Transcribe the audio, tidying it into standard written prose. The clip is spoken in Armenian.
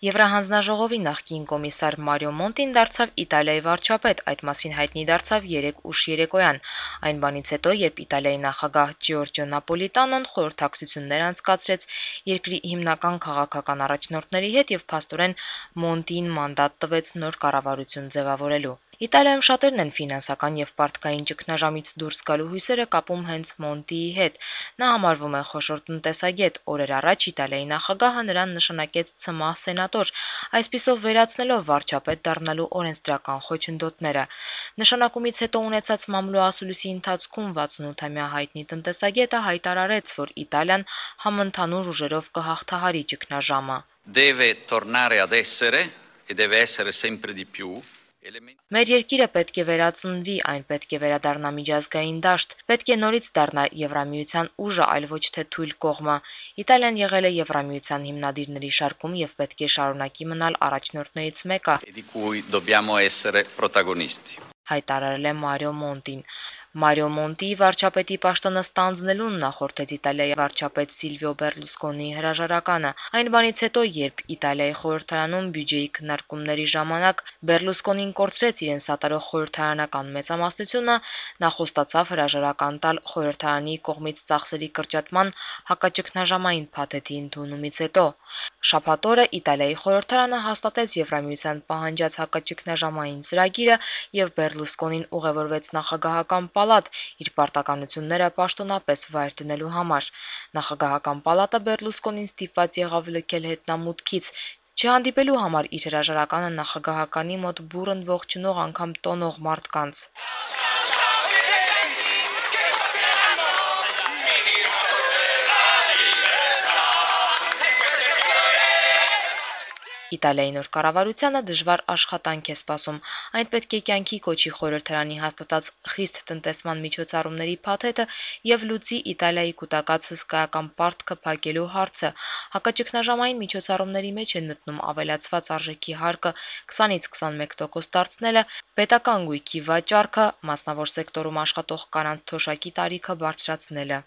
Եվրահանձնաժողովի նախկին կոմիսար Մարիո Մոնտին դարձավ Իտալիայի վարչապետ, այդ մասին հայտնի դարձավ 3 ուշ երեկոյան, այն բանից հետո, երբ Իտալիայի նախագահ Ջորջո Նապոլիտանոն խորհրդակցություններ անցկացրեց երկրի հիմնական քաղաքական առաջնորդների հետ եւ փաստորեն Մոնտիին մանդատ տվեց նոր կառավարություն ձևավորելու։ Իտալիայում շատերն են ֆինանսական եւ պարտքային ճգնաժամից դուրս գալու հույսերը կապում հենց Մոնտիի հետ։ Նա համարվում է խոշոր տնտեսագետ, օրեր առաջ Իտալիայի նախագահը նրան նշանակեց ցմահ սենատոր, այսպիսով վերացնելով վարչապետ դառնալու օրենսդրական խոչընդոտները։ Նշանակումից հետո ունեցած մամլո ասուլիսի ընթացքում 68-ամյա հայտնի տնտեսագետը հայտարարեց, որ Իտալիան համընդհանուր ուժերով կհաղթահարի ճգնաժամը։ Deve tornare ad essere e deve essere sempre di più. Մեր երկիրը պետք է վերածնվի, այն պետք է վերադառնա միջազգային դաշտ, պետք է նորից դառնա Եվրամիության ուժը, այլ ոչ թե թույլ կողմը։ Իտալիան եղել է Եվրամիության հիմնադիրների շարքում եւ պետք է շարունակի մնալ առաջնորդներից մեկը, Di cui dobbiamo essere protagonisti. հայտարարել է Մարիո Մոնտին։ Մարիո Մոնտիի վարչապետի պաշտոնը ստանձնելուն նախորդեց Իտալիայի վարչապետ Սիլվիո Բերլուսկոնիի հրաժարականը։ Այն բանից հետո, երբ Իտալիայի խորհրդարանում բյուջեի քննարկումների ժամանակ Բերլուսկոնին կորցրեց իրեն սատարող խորհրդարանական մեծամասնությունը, նա խոստացավ հրաժարական տալ խորհրդարանի կողմից ծախսերի կրճատման հակաճգնաժամային փաթեթի ընդունումից հետո։ Շաբաթ օրը Իտալիայի խորհրդարանը հաստատեց Եվրամիության պահանջած հակաճգնաժամային ծրագիրը եւ Բերլուսկոնին ուղևորվեց նախագահական պալատ իր պարտականությունները պաշտոնապես վայր դնելու համար։ Նախագահական պալատը Բերլուսկոնին ստիպված եղավ լքել հետնամուտքից, չհանդիպելու համար իր հրաժարականը նախագահականի մոտ բուռն ողջունող անգամ տոնող մարդկանց։ Իտալիայի նոր կառավարությանը դժվար աշխատանք է սպասում։ Այն պետք է կյանքի կոչի խորհրդարանի հաստատած խիստ տնտեսման միջոցառումների փաթեթը եւ լուծի Իտալիայի կուտակած հսկայական պարտքը փակելու հարցը։ Հակաճգնաժամային միջոցառումների մեջ են մտնում ավելացված արժեքի հարկը 20-ից 21% դարձնելը, պետական գույքի վաճառքը, մասնավոր սեկտորում աշխատող կանանց թոշակի տարիքը բարձրացնելը։